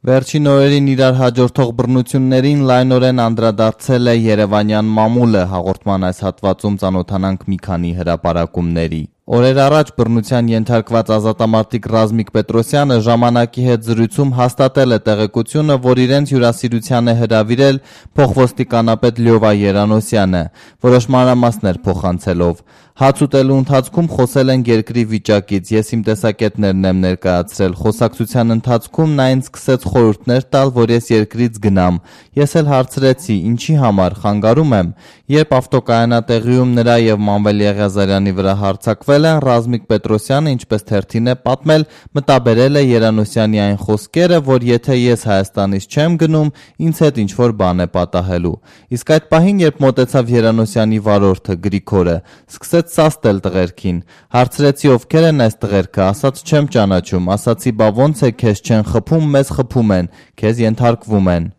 Վերջին օրերին իրար հաջորդող բռնություններին լայնորեն անդրադարձել է երևանյան մամուլը, հաղորդման այս հատվածում ծանոթանանք մի քանի հրապարակումների։ Օրեր առաջ բռնության ենթարկված ազատամարտիկ Ռազմիկ Պետրոսյանը ժամանակի հետ զրույցում հաստատել է տեղեկությունը, որ իրենց հյուրասիրության է հրավիրել փոխոստիկանապետ Լյովա Երանոսյանը, որոշ մանրամասներ փոխանցելով։ Հաց ուտելու ընթացքում խոսել ենք երկրի վիճակից, ես իմ տեսակետներն եմ ներկայացրել, խոսակցության ընթացքում նա ինձ սկսեց խորհուրդներ տալ, որ ես երկրից գնամ, ես էլ հարցրեցի, ինչի համար, խանգարում եմ, երբ ավտոկայանատեղիում նրա և Մանվել Եղիազարյանի վրա հարձակվել են, Ռազմիկ Պետրոսյանը, ինչպես թերթին է պատմել, մտաբերել է Երանոսյանի այն խոսքերը, որ եթե ես Հայաստանից չեմ գնում, ինձ հետ ինչ-որ բան է պատահելու, իսկ այդ պահին, երբ մոտեցավ Երանոսյանի վարորդը Գրիգորը, սկսեց սաստել տղերքին, հարցրեցի ովքեր են այս տղերքը, ասաց չեմ ճանաչում, ասացի բա ոնց է քեզ չեն խփում, մեզ խփում են, քեզ ենթարկվում են։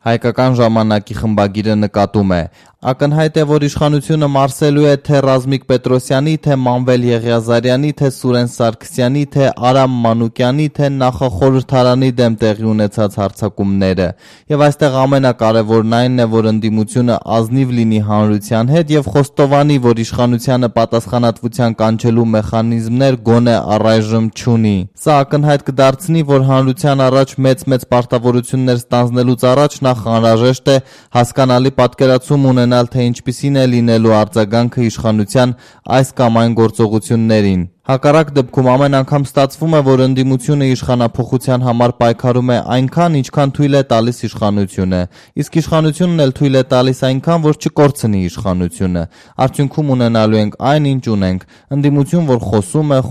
Հայկական ժամանակի խմբագիրը նկատում է. ակնհայտ է, որ իշխանությունը մարսելու է թե Ռազմիկ Պետրոսյանի, թե Մանվել Եղիազարյանի, թե Սուրեն Սարգսյանի, թե Արամ Մանուկյանի, թե նախախորհրդարանի դեմ տեղի ունեցած հարձակումները։ Եվ այստեղ ամենակարևորն այն է, որ ընդդիմությունը ազնիվ լինի հանրության հետ եւ խոստովանի, որ իշխանությանը պատասխանատվության կանչելու մեխանիզմներ գոնե առայժմ չունի։ Սա ակնհայտ կդարձնի, որ հանրության առաջ մեծ պարտավորություններ ստանձնելուց առաջ նախ անհրաժեշտ է հասկանալի պատկերացում ունենալ, թե ինչպիսին է լինելու արձագանքը իշխանության այս կամ այն գործողություններին։ Հակառակ դեպքում ամեն անգամ ստացվում է, որ ընդդիմությունը իշխանափոխության համար պայքարում է այնքան, ինչքան թույլ է տալիս իշխանությունը, իսկ իշխանությունն էլ թույլ է տալիս այնքան, որ չկորցնի իշխանությունը։ Արդյունքում ունենալու ենք այն, ինչ ունենք՝ ընդդիմություն, որ խոսում է,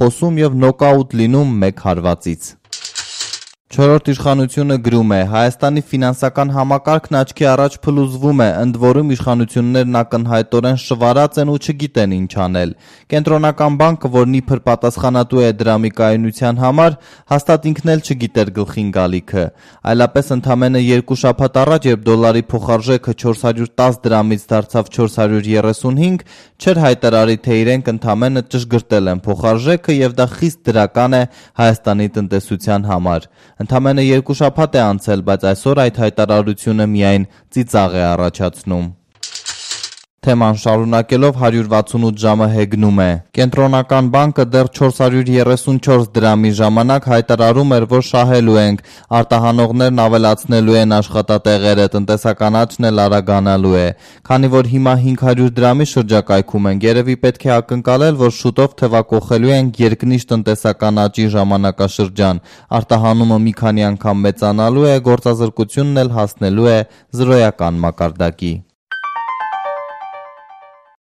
խոսում եւ նոկաուտ լինում մեկ հարվածից։ Չորրորդ իշխանությունը գրում է. Հայաստանի ֆինանսական համակարգն աչքի առաջ փլուզվում է, ընդ որում իշխանություններն ակնհայտորեն շվարած են ու չգիտեն ինչ անել։ Կենտրոնական բանկը, որն իբր պատասխանատու է դրամի կայունության համար, հաստատ ինքն էլ չգիտեր գլխին գալիքը։ Այլապես ընդամենը 2 շաբաթ առաջ, երբ դոլարի փոխարժեքը 410 դրամից դարձավ 435, չէր հայտարարի, թե իրենք ընդամենը ճշգրտել են փոխարժեքը եւ դա խիստ դրական է Հայաստանի տնտեսության համար։ Ընդամենը 2 շաբաթ է անցել, բայց այսօր այդ հայտարարությունը միայն ծիծաղ է առաջացնում։ Թեման շարունակելով 168 ժամը հեգնում է. Կենտրոնական բանկը դեռ 434 դրամի ժամանակ հայտարարում էր, որ շահելու ենք, արտահանողներն ավելացնելու են աշխատատեղերը, տնտեսականացն էլ արագանալու է։ Քանի որ հիմա 500 դրամի շրջակայքում ենք, երևի պետք է ակնկալել, որ շուտով թևակողելու ենք երկնիշ տնտեսական աճի ժամանակաշրջան, արտահանումը մի քանի անգամ մեծանալու է, գործազրկությունն էլ հասնելու է զրոյական մակարդակի։